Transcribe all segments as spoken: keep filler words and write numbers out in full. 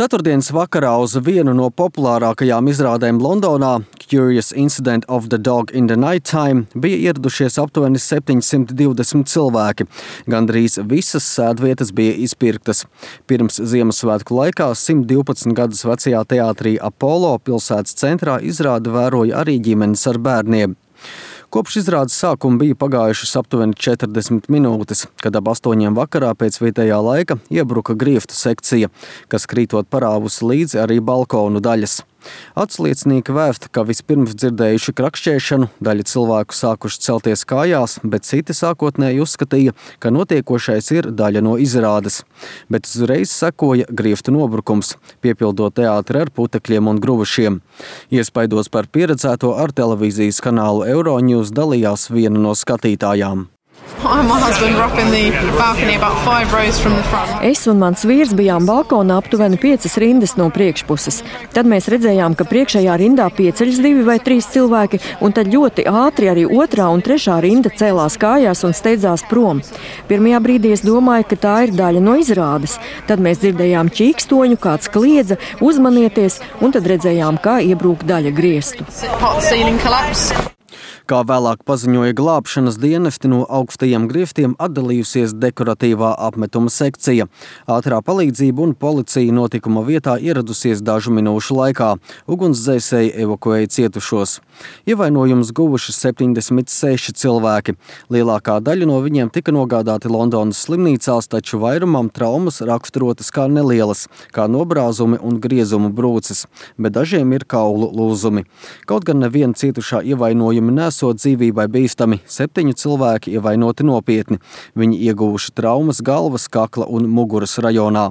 Ceturtdienas vakarā uz vienu no populārākajām izrādēm Londonā, Curious Incident of the Dog in the Nighttime, bija ieradušies aptuveni septiņsimt divdesmit cilvēki. Gandrīz visas sēdvietas bija izpirktas. Pirms Ziemassvētku laikā simt divpadsmit gadus vecajā teātrī Apollo pilsētas centrā izrādi vēroja arī ģimenes ar bērniem. Kopš izrādes sākuma bija pagājušas aptuveni četrdesmit minūtes, kad ap astoņiem vakarā pēc vietējā laika iebruka grieftu sekcija, kas krītot parāvusi līdzi arī balkonu daļas. Atsliecinieki vēsta, ka vispirms dzirdējuši krakšķēšanu, daļa cilvēku sākuši celties kājās, bet citi sākotnēji uzskatīja, ka notiekošais ir daļa no izrādes. Bet uzreiz sekoja grieftu nobrukums, piepildot teātri ar putekļiem un gruvušiem. Iespaidos par pieredzēto ar televīzijas kanālu Euronews dalījās viena no skatītājām. Es un mans vīrs bijām balkonā aptuveni piecas rindas no priekšpuses. Tad mēs redzējām, ka priekšējā rindā pieceļas divi vai trīs cilvēki, un tad ļoti ātri arī otrā un trešā rinda cēlās kājās un steidzās prom. Pirmajā brīdī es domāju, ka tā ir daļa no izrādes. Tad mēs dzirdējām čīkstoņu, kāds kliedza, uzmanieties, un tad redzējām, kā iebrūk daļa griestu. Kā vēlāk paziņoja glābšanas dienesti, no augstajiem grieftiem atdalījusies dekoratīvā apmetuma sekcija. Ātrā palīdzība un policija notikuma vietā ieradusies dažu minūšu laikā. Ugunsdzēsēji evakuēja cietušos. Ievainojumus guvuši septiņdesmit seši cilvēki. Lielākā daļa no viņiem tika nogādāti Londonas slimnīcās, taču vairumam traumas raksturotas kā nelielas, kā nobrāzumi un griezumu brūces, bet dažiem ir kaulu lūzumi. Kaut gan neviena cietušā ievainojumi nesot dzīvībai bīstami, septiņi cilvēki ievainoti nopietni. Viņi ieguvuši traumas galvas, kakla un muguras rajonā.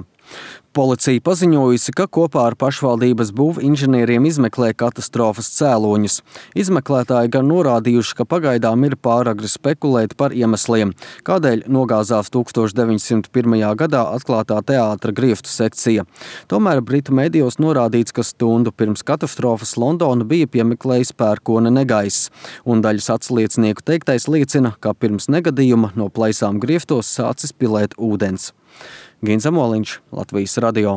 Policija paziņojusi, ka kopā ar pašvaldības būvinženieriem izmeklē katastrofas cēloņus. Izmeklētāji gan norādījuši, ka pagaidām ir pāragri spekulēt par iemesliem, kādēļ nogāzās tūkstoš deviņsimt pirmajā gadā atklātā teātra grieftu sekcija. Tomēr Britu medijos norādīts, ka stundu pirms katastrofas Londona bija piemeklējis pērkona negaiss, un daļas atsliecinieku teiktais liecina, ka pirms negadījuma no plaisām grieftos sācis pilēt ūdens. Gins Amoliņš, Latvijas radio.